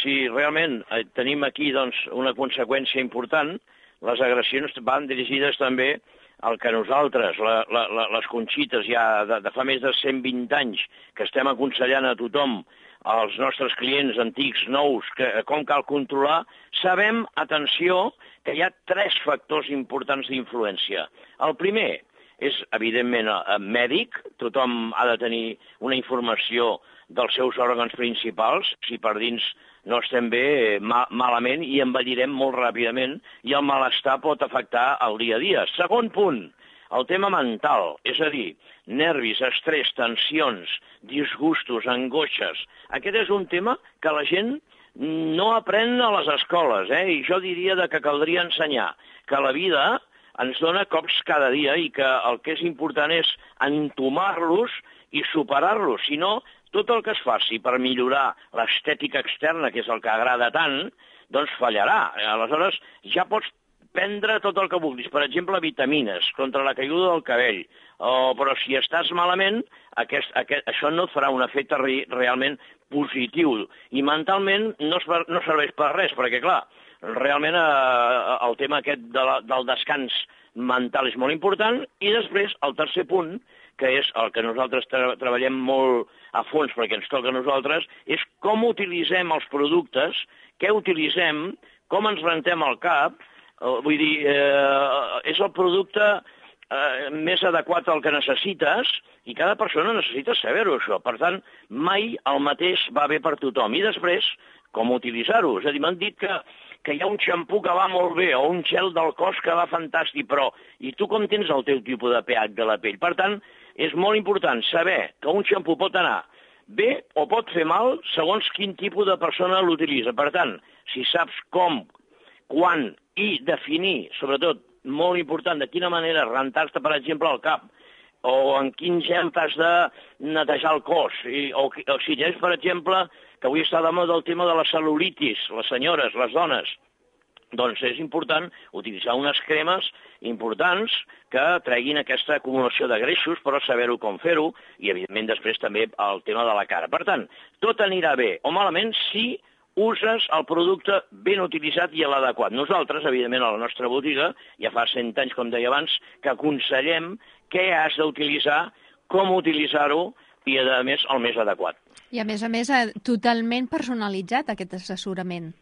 si realment tenim aquí doncs, una conseqüència important, les agressions van dirigides també el que nosaltres, la, la, la, les Conxites, ja de, de fa més de cent vint anys, que estem aconsellant a tothom, als nostres clients antics, nous, que, com cal controlar, sabem, atenció, que hi ha tres factors importants d'influència. El primer és, evidentment, mèdic. Tothom ha de tenir una informació dels seus òrgans principals. Si per dins no estem bé, ma malament, i envellirem molt ràpidament, i el malestar pot afectar el dia a dia. Segon punt, el tema mental, és a dir, nervis, estrès, tensions, disgustos, angoixes. Aquest és un tema que la gent no aprèn a les escoles, eh? I jo diria que caldria ensenyar que la vida ens dona cops cada dia i que el que és important és entomar-los i superar-los. Si no, tot el que es faci per millorar l'estètica externa, que és el que agrada tant, doncs fallarà. Aleshores, ja pots prendre tot el que vulguis. Per exemple, vitamines contra la caiguda del cabell. Oh, però si estàs malament, aquest, aquest, això no et farà un efecte re, realment positiu. I mentalment no, es, no serveix per res, perquè, clar, realment eh, el tema aquest de la, del descans mental és molt important. I després, el tercer punt, que és el que nosaltres tra treballem molt a fons perquè ens toca a nosaltres, és com utilitzem els productes, què utilitzem, com ens rentem el cap. Uh, vull dir, eh, és el producte eh, més adequat al que necessites i cada persona necessita saber-ho, això. Per tant, mai el mateix va bé per tothom. I després, com utilitzar-ho? És a dir, m'han dit que, que hi ha un xampú que va molt bé o un gel del cos que va fantàstic, però i tu com tens el teu tipus de pH de la pell? Per tant, és molt important saber que un xampú pot anar bé o pot fer mal segons quin tipus de persona l'utilitza. Per tant, si saps com, quan i definir, sobretot, molt important, de quina manera rentar-te, per exemple, el cap, o en quin gel t'has de netejar el cos, i, o, o si tens, per exemple, que avui està de moda el tema de la cel·lulitis, les senyores, les dones, doncs és important utilitzar unes cremes importants que treguin aquesta acumulació de greixos, però saber-ho com fer-ho, i evidentment després també el tema de la cara. Per tant, tot anirà bé o malament si uses el producte ben utilitzat i l'adequat. Nosaltres, evidentment, a la nostra botiga, ja fa cent anys, com deia abans, que aconsellem què has d'utilitzar, com utilitzar-ho i, a més, el més adequat. I, a més a més, totalment personalitzat, aquest assessorament.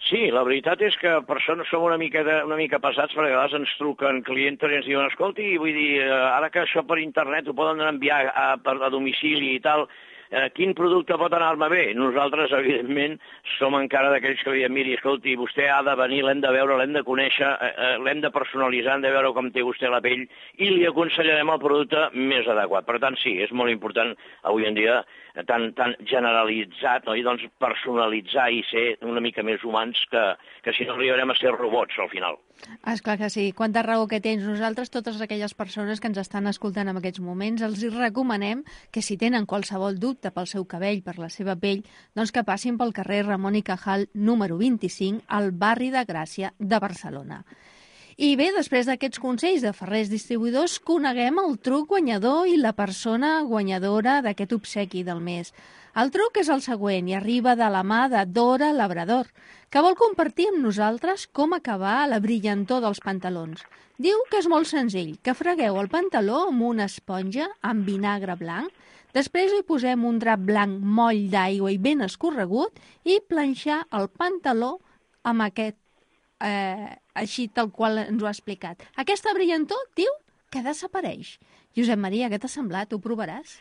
Sí, la veritat és que persones som una mica, de, una mica passats, perquè a vegades ens truquen clients i ens diuen, escolti, vull dir, ara que això per internet ho poden enviar a, a, a domicili i tal, eh, quin producte pot anar-me bé? Nosaltres, evidentment, som encara d'aquells que diem, miri, escolti, vostè ha de venir, l'hem de veure, l'hem de conèixer, eh, l'hem de personalitzar, hem de veure com té vostè la pell i li aconsellarem el producte més adequat. Per tant, sí, és molt important avui en dia tan, tan generalitzat, no? I doncs personalitzar i ser una mica més humans que, que si no arribarem a ser robots al final. Esclar que sí. Quanta raó que tens. Nosaltres, totes aquelles persones que ens estan escoltant en aquests moments, els recomanem que si tenen qualsevol dubte pel seu cabell, per la seva pell, doncs que passin pel carrer Ramon i Cajal número vint-i-cinc al barri de Gràcia de Barcelona. I bé, després d'aquests consells de Ferrers Distribuïdors, coneguem el truc guanyador i la persona guanyadora d'aquest obsequi del mes. El truc és el següent i arriba de la mà de Dora Labrador, que vol compartir amb nosaltres com acabar la brillantor dels pantalons. Diu que és molt senzill, que fregueu el pantaló amb una esponja amb vinagre blanc, després hi posem un drap blanc moll d'aigua i ben escorregut i planxar el pantaló amb aquest Eh, així tal qual ens ho ha explicat. Aquesta brillantor, diu, que desapareix. Josep Maria, què t'ha semblat? Ho provaràs?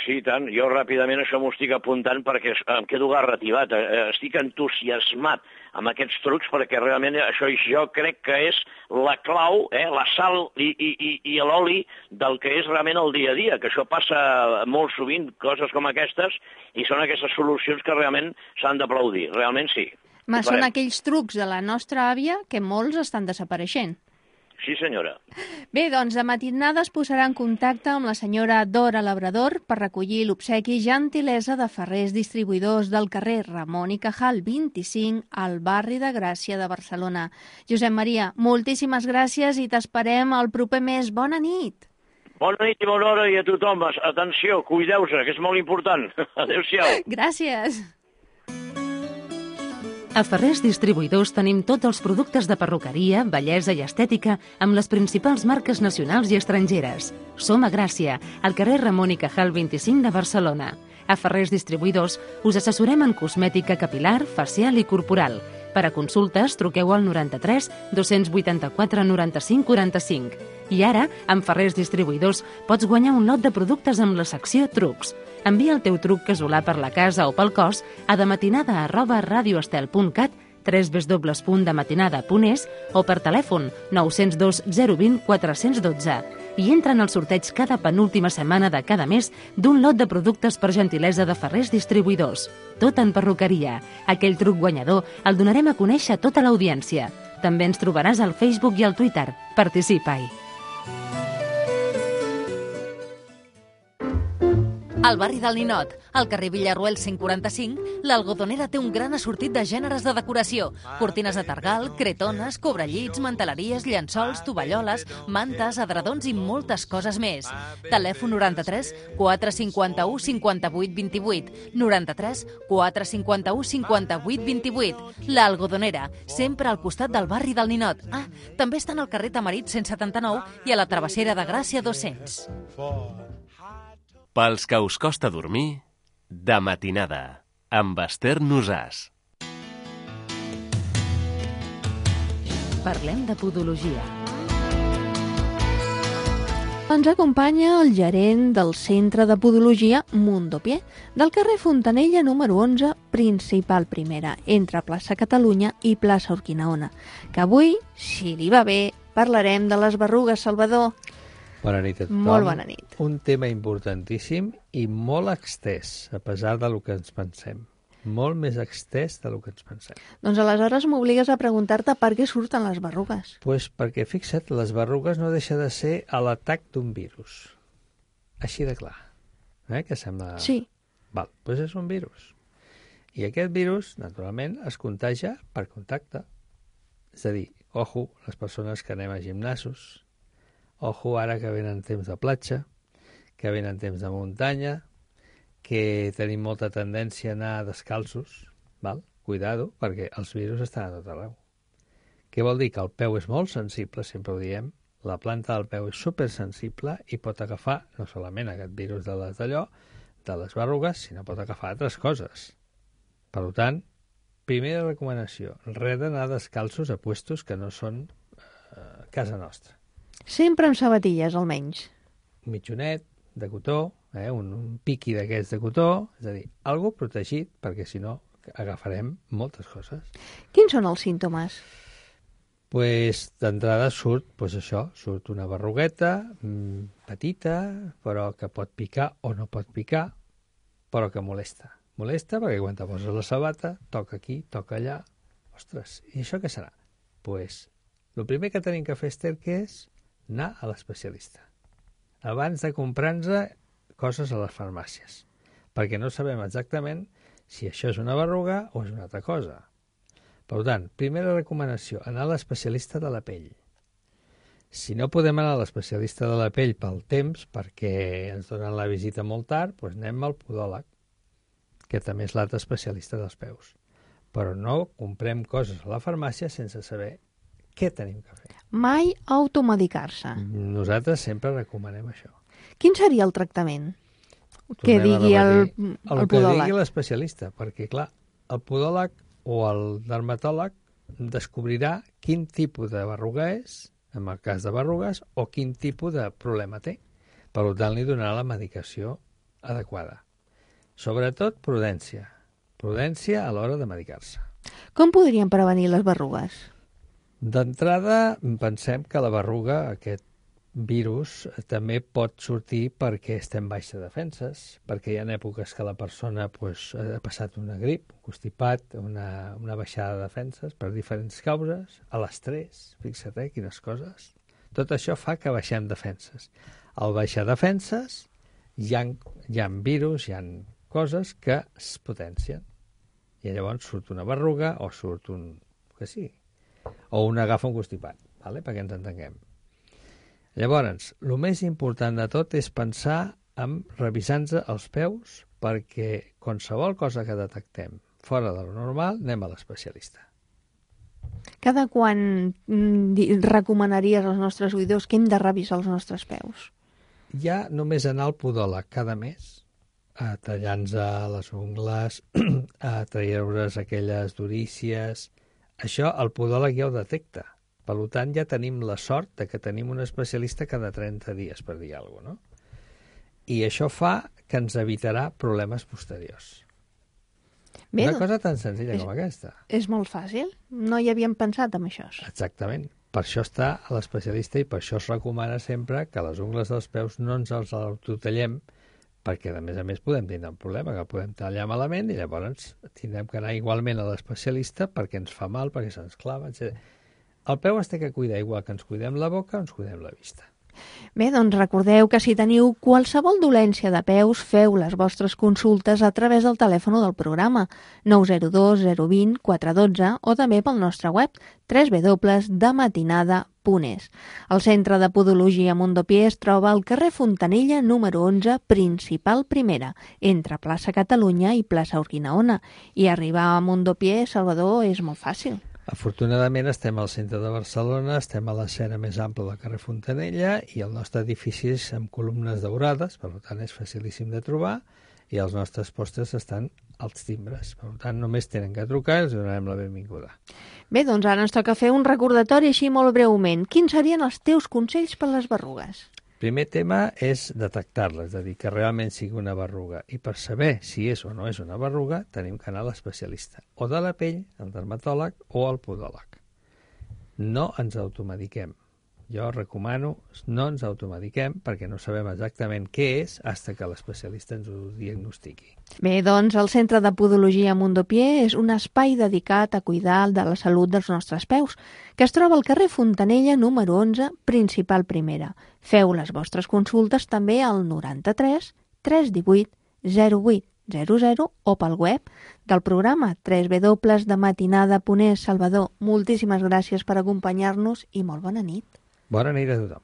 Sí, tant. Jo ràpidament això m'ho estic apuntant perquè em quedo garrativat. Estic entusiasmat amb aquests trucs perquè realment això jo crec que és la clau, eh, la sal i, i, i l'oli del que és realment el dia a dia, que això passa molt sovint, coses com aquestes, i són aquestes solucions que realment s'han d'aplaudir. Realment sí. Ma, són aquells trucs de la nostra àvia que molts estan desapareixent. Sí, senyora. Bé, doncs, de matinada es posarà en contacte amb la senyora Dora Labrador per recollir l'obsequi gentilesa de Ferrers Distribuïdors del carrer Ramon i Cajal vint-i-cinc al barri de Gràcia de Barcelona. Josep Maria, moltíssimes gràcies i t'esperem el proper mes. Bona nit. Bona nit i bona hora i a tothom. Atenció, cuideu-se, que és molt important. Adéu-siau. Gràcies. A Ferrers Distribuïdors tenim tots els productes de perruqueria, bellesa i estètica amb les principals marques nacionals i estrangeres. Som a Gràcia, al carrer Ramon i Cajal vint-i-cinc de Barcelona. A Ferrers Distribuïdors us assessorem en cosmètica capilar, facial i corporal. Per a consultes, truqueu al noranta-tres dos-cents vuitanta-quatre noranta-cinc quaranta-cinc. I ara, amb Ferrers Distribuïdors, pots guanyar un lot de productes amb la secció Trucs. Envia el teu truc casolà per la casa o pel cos a dematinada arroba radioestel punt cat, w w w punt dematinada punt es o per telèfon nou zero dos zero dos zero quatre un dos i entra en el sorteig cada penúltima setmana de cada mes d'un lot de productes per gentilesa de Ferrers Distribuïdors. Tot en perruqueria. Aquell truc guanyador el donarem a conèixer a tota l'audiència. També ens trobaràs al Facebook i al Twitter. Participa-hi. Al barri del Ninot, al carrer Villarroel cent quaranta-cinc, l'Algodonera té un gran assortit de gèneres de decoració. Cortines de targal, cretones, cobrellits, manteleries, llençols, tovalloles, mantes, adredons i moltes coses més. Telèfon noranta-tres quatre cinquanta-u cinquanta-vuit vint-i-vuit, noranta-tres quatre cinquanta-u cinquanta-vuit vint-i-vuit. L'Algodonera, sempre al costat del barri del Ninot. Ah, també estan al carrer Tamarit cent setanta-nou i a la travessera de Gràcia dos-cents. Pels que us costa dormir, de matinada, amb Esther Nosàs. Parlem de podologia. Ens acompanya el gerent del Centre de Podologia Mundopié, del carrer Fontanella número onze, principal primera, entre plaça Catalunya i plaça Urquinaona, que avui, si li va bé, parlarem de les berrugues, Salvador. Bona nit a tothom. Molt bona nit. Un tema importantíssim i molt extès, a pesar del que ens pensem. Molt més extès del que ens pensem. Doncs aleshores m'obligues a preguntar-te per què surten les berrugues. Pues perquè, fixa't, les berrugues no deixa de ser a l'atac d'un virus. Així de clar. Eh? Que sembla... Sí. Val, doncs és un virus. I aquest virus, naturalment, es contagia per contacte. És a dir, ojo, les persones que anem a gimnasos, ojo ara que venen temps de platja, que venen temps de muntanya, que tenim molta tendència a anar descalços, val? Cuidado, perquè els virus estan a tot arreu. Què vol dir? Que el peu és molt sensible, sempre ho diem, la planta del peu és supersensible i pot agafar no solament aquest virus de les d'allò, de les berrugues, sinó pot agafar altres coses. Per tant, primera recomanació, res d'anar descalços a puestos que no són eh, casa nostra. Sempre amb sabatilles, almenys. Un mitjonet de cotó, eh, un, un piqui d'aquests de cotó, és a dir, algo protegit, perquè si no agafarem moltes coses. Quins són els símptomes? Pues, d'entrada surt, pues això, surt una berrugueta mmm, petita, però que pot picar o no pot picar, però que molesta. Molesta perquè quan te poses la sabata, toca aquí, toca allà. Ostres, i això què serà? Pues, el primer que tenim que fer, Esther, que és anar a l'especialista. Abans de comprar-nos coses a les farmàcies. Perquè no sabem exactament si això és una berruga o és una altra cosa. Per tant, primera recomanació, anar a l'especialista de la pell. Si no podem anar a l'especialista de la pell pel temps, perquè ens donen la visita molt tard, doncs anem al podòleg, que també és l'altre especialista dels peus. Però no comprem coses a la farmàcia sense saber què tenim que fer. Mai automedicar-se. Nosaltres sempre recomanem això. Quin seria el tractament? Tornem que digui el, el, el que podòleg. digui l'especialista, perquè, clar, el podòleg o el dermatòleg descobrirà quin tipus de berruga és, en el cas de berrugues, o quin tipus de problema té. Per tant, li donarà la medicació adequada. Sobretot, prudència. Prudència a l'hora de medicar-se. Com podríem prevenir les berrugues? D'entrada, pensem que la berruga, aquest virus, també pot sortir perquè estem baixes defenses, perquè hi ha èpoques que la persona pues, ha passat una grip, un constipat, una, una baixada de defenses per diferents causes, a l'estrès, fixa't, eh, quines coses. Tot això fa que baixem defenses. Al baixar defenses hi ha, hi ha virus, hi ha coses que es potencien. I llavors surt una berruga o surt un... que sí, o un agafa un constipat, vale? Perquè ens entenguem. Llavors, el més important de tot és pensar en revisar-nos els peus perquè qualsevol cosa que detectem fora de lo normal, anem a l'especialista. Cada quan mm, recomanaries als nostres oïdors que hem de revisar els nostres peus? Ja només anar al podòleg cada mes, a tallar-nos les ungles, a treure's aquelles durícies. Això el podòleg ja ho detecta. Per tant, ja tenim la sort de que tenim un especialista cada trenta dies, per dir alguna cosa, no? I això fa que ens evitarà problemes posteriors. Bé, una cosa tan senzilla és, com aquesta. És molt fàcil. No hi havíem pensat en això. Exactament. Per això està a l'especialista i per això es recomana sempre que les ungles dels peus no ens els autotallem, perquè, a més a més, podem tindre un problema, que podem tallar malament i llavors tindrem que anar igualment a l'especialista perquè ens fa mal, perquè se'ns clava, etcètera. El peu es té que cuidar igual que ens cuidem la boca o ens cuidem la vista. Bé, doncs recordeu que si teniu qualsevol dolència de peus, feu les vostres consultes a través del telèfon del programa nou zero dos zero dos zero quatre un dos o també pel nostre web w w w punt de matinada punt es. El Centre de Podologia Mondopié es troba al carrer Fontanella número onze, principal primera, entre plaça Catalunya i plaça Urquinaona. I arribar a Mondopié, Salvador, és molt fàcil. Afortunadament estem al centre de Barcelona, estem a l'escena més ampla del carrer Fontanella i el nostre edifici és amb columnes daurades, per tant és facilíssim de trobar i els nostres postres estan als timbres. Per tant, només tenen que trucar i els donarem la benvinguda. Bé, doncs ara ens toca fer un recordatori així molt breument. Quins serien els teus consells per les berrugues? Primer tema és detectar-la, és a dir, que realment sigui una berruga. I per saber si és o no és una berruga, tenim que anar a l'especialista, o de la pell, al dermatòleg, o al podòleg. No ens automediquem. Jo recomano, no ens automediquem perquè no sabem exactament què és fins que l'especialista ens ho diagnostiqui. Bé, doncs el Centre de Podologia Mondopié és un espai dedicat a cuidar de la salut dels nostres peus, que es troba al carrer Fontanella número onze, principal primera. Feu les vostres consultes també al noranta-tres tres divuit zero vuit zero zero o pel web del programa w w w punt de matinada punt es. Salvador, moltíssimes gràcies per acompanyar-nos i molt bona nit. Bona nit a tothom.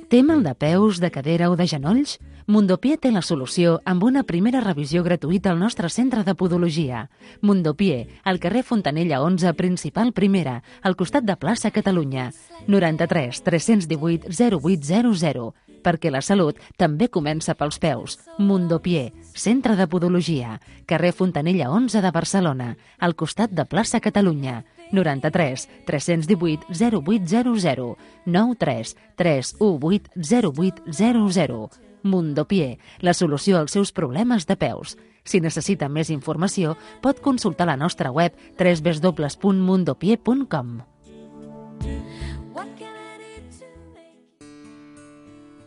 Té mal de peus, de cadera o de genolls? Mondopié té la solució amb una primera revisió gratuïta al nostre centre de podologia. Mondopié, al carrer Fontanella onze, principal primera, al costat de plaça Catalunya. noranta-tres tres cents divuit zero vuit zero zero. Perquè la salut també comença pels peus. Mondopié, centre de podologia, carrer Fontanella onze de Barcelona, al costat de plaça Catalunya. noranta-tres tres cents divuit zero vuit zero zero, nou tres tres u vuit zero vuit zero zero. Mondopié, la solució als seus problemes de peus. Si necessita més informació, pot consultar la nostra web w w w punt mondopié punt com.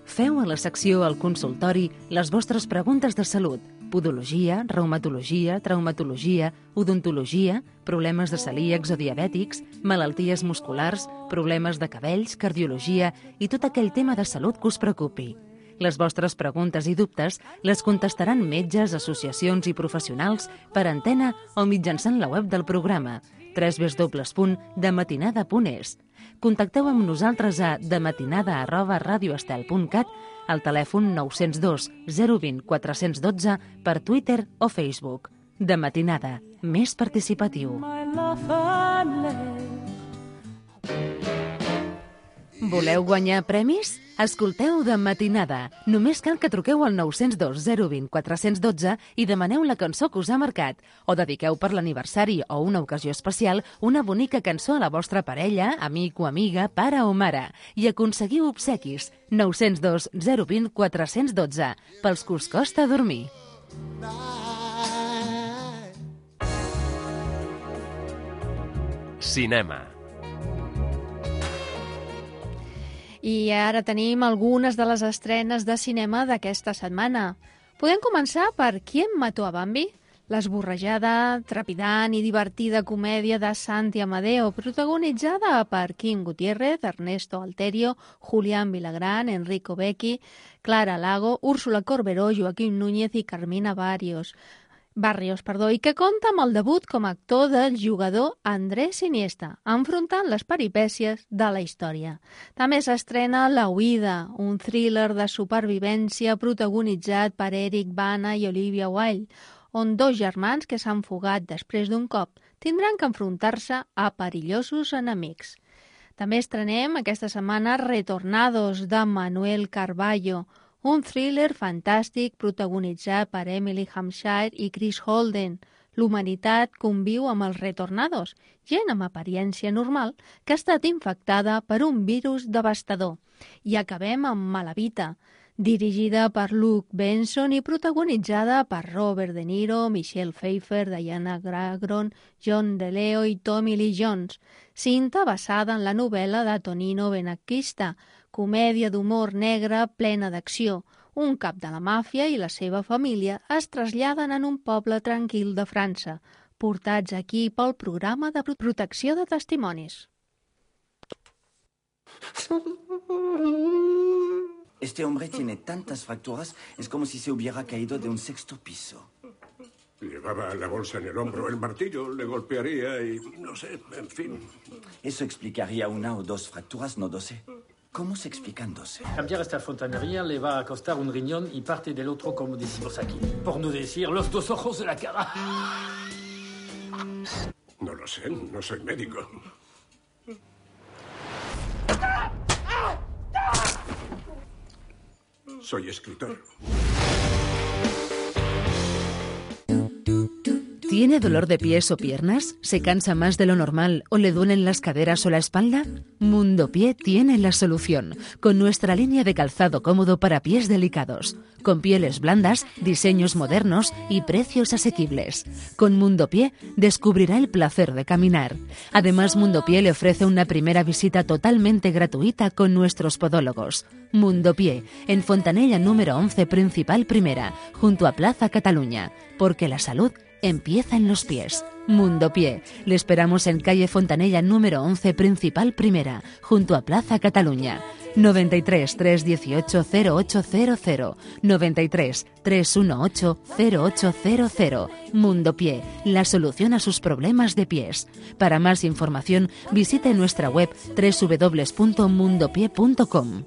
Feu a la secció al consultori les vostres preguntes de salut, podologia, reumatologia, traumatologia, odontologia, problemes de celíacs o diabètics, malalties musculars, problemes de cabells, cardiologia i tot aquell tema de salut que us preocupi. Les vostres preguntes i dubtes les contestaran metges, associacions i professionals per antena o mitjançant la web del programa w w w punt de matinada punt es. Contacteu amb nosaltres a dematinada arroba radioestel punt cat, al telèfon nou zero dos zero dos zero quatre un dos per Twitter o Facebook. De Matinada, més participatiu. Voleu guanyar premis? Escolteu De Matinada. Només cal que truqueu al nou zero dos zero dos zero quatre un dos i demaneu la cançó que us ha marcat. O dediqueu per l'aniversari o una ocasió especial una bonica cançó a la vostra parella, amic o amiga, pare o mare. I aconseguiu obsequis. nou zero dos zero dos zero quatre un dos, pels que us costa dormir. Cinema. I ara tenim algunes de les estrenes de cinema d'aquesta setmana. Podem començar per Qui mató a Bambi? L'esborrejada, trepidant i divertida comèdia de Santi Amadeo, protagonitzada per Kim Gutiérrez, Ernesto Alterio, Julián Villagrán, Enrico Becchi, Clara Lago, Úrsula Corberó, Joaquim Núñez i Carmina Barrios. Barrios, perdó, i que compta amb el debut com a actor del jugador Andrés Iniesta, enfrontant les peripècies de la història. També s'estrena La Huida, un thriller de supervivència protagonitzat per Eric Bana i Olivia Wilde, on dos germans que s'han fugat després d'un cop tindran que enfrontar-se a perillosos enemics. També estrenem aquesta setmana Retornados, de Manuel Carballo, un thriller fantàstic protagonitzat per Emily Hampshire i Chris Holden. L'humanitat conviu amb els retornados, gent amb apariència normal que ha estat infectada per un virus devastador. I acabem amb Malavita, dirigida per Luke Benson i protagonitzada per Robert De Niro, Michelle Pfeiffer, Diana Agron, John DeLeo i Tommy Lee Jones. Cinta basada en la novel·la de Tonino Benacquista, comèdia d'humor negre plena d'acció. Un cap de la màfia i la seva família es traslladen en un poble tranquil de França, portats aquí pel programa de protecció de testimonis. Este hombre tiene tantas fracturas, es como si se hubiera caído de un sexto piso. Llevaba la bolsa en el hombro, el martillo le golpearía y no sé, en fin. Eso explicaría una o dos fracturas, no doce. ¿Cómo se explican doce? Cambiar esta fontanería le va a costar un riñón y parte del otro, como decimos aquí. Por no decir los dos ojos de la cara. No lo sé, no soy médico. Soy escritor. ¿Tiene dolor de pies o piernas? ¿Se cansa más de lo normal o le duelen las caderas o la espalda? Mundo Pie tiene la solución, con nuestra línea de calzado cómodo para pies delicados, con pieles blandas, diseños modernos y precios asequibles. Con Mundo Pie descubrirá el placer de caminar. Además, Mundo Pie le ofrece una primera visita totalmente gratuita con nuestros podólogos. Mundo Pie, en Fontanella número once, Principal Primera, junto a Plaza Cataluña, porque la salud empieza en los pies. Mundo Pie. Le esperamos en calle Fontanella número once, Principal Primera, junto a Plaza Cataluña. noventa y tres, trescientos dieciocho, cero ocho cero cero, noventa y tres, trescientos dieciocho, cero ocho cero cero. Mundo Pie, la solución a sus problemas de pies. Para más información, visite nuestra web doble u doble u doble u punto mundo pie punto com.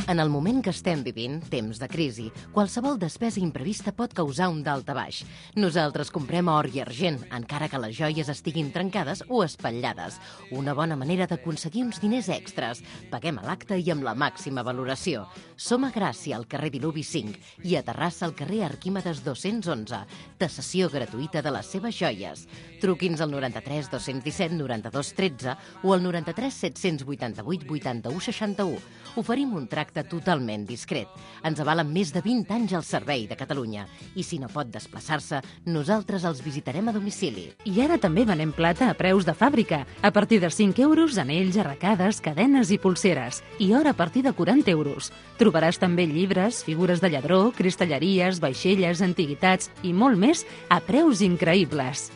En el moment que estem vivint, temps de crisi, qualsevol despesa imprevista pot causar un daltabaix. Nosaltres comprem or i argent, encara que les joies estiguin trencades o espatllades. Una bona manera d'aconseguir uns diners extras. Paguem a l'acte i amb la màxima valoració. Som a Gràcia, al carrer Diluvi cinc, i a Terrassa, al carrer Arquímedes dos-cents onze. Tasació gratuïta de les seves joies. Truqui'ns al noranta-tres dos-cents disset noranta-dos tretze o al noranta-tres set-cents vuitanta-vuit vuitanta-u seixanta-u. Oferim un tracte totalment discret. Ens avalen més de vint anys al servei de Catalunya. I si no pot desplaçar-se, nosaltres els visitarem a domicili. I ara també venem plata a preus de fàbrica. A partir de cinc euros, anells, arracades, cadenes i pulseres. I or a partir de quaranta euros. Trobaràs també llibres, figures de lladró, cristalleries, vaixelles, antiguitats i molt més a preus increïbles.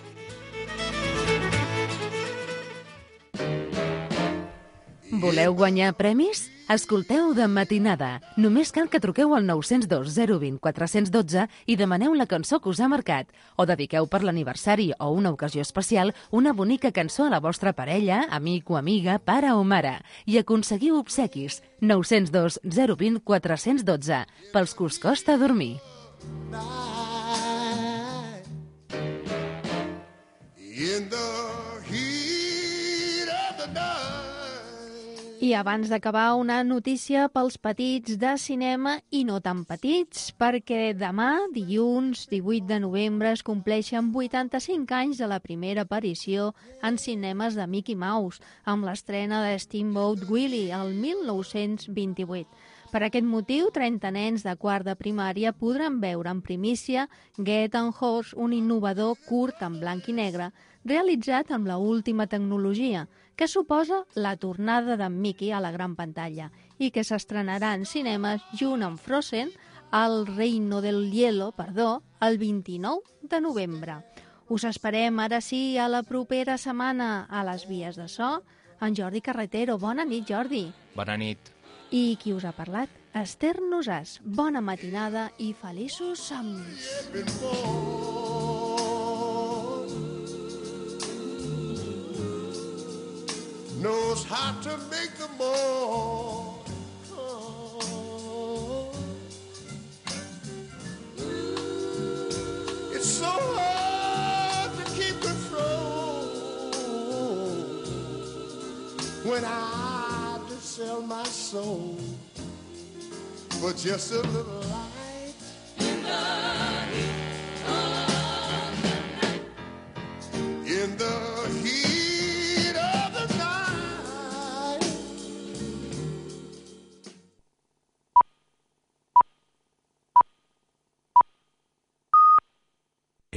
Voleu guanyar premis? Escolteu De Matinada. Només cal que truqueu al nou zero dos zero dos zero quatre un dos i demaneu la cançó que us ha marcat. O dediqueu per l'aniversari o una ocasió especial una bonica cançó a la vostra parella, amic o amiga, pare o mare. I aconseguiu obsequis. nou zero dos zero dos zero quatre un dos pels que us costa dormir. In the heat of the night. I abans d'acabar, una notícia pels petits de cinema i no tan petits, perquè demà, dilluns divuit de novembre, es compleixen vuitanta-cinc anys de la primera aparició en cinemes de Mickey Mouse, amb l'estrena de Steamboat Willie, el mil nou-cents vint-i-vuit. Per aquest motiu, trenta nens de quart de primària podran veure en primícia Get on Horse, un innovador curt en blanc i negre, realitzat amb la última tecnologia, que suposa la tornada d'en Mickey a la gran pantalla i que s'estrenarà en cinemes junt amb Frozen, El Reino del Hielo, perdó, el vint-i-nou de novembre. Us esperem ara sí a la propera setmana a les vies de so, en Jordi Carretero. Bona nit, Jordi. Bona nit. I qui us ha parlat? Esther Nosàs. Bona matinada i feliços somnis. Knows how to make the more. when I had to sell my soul for just a little life.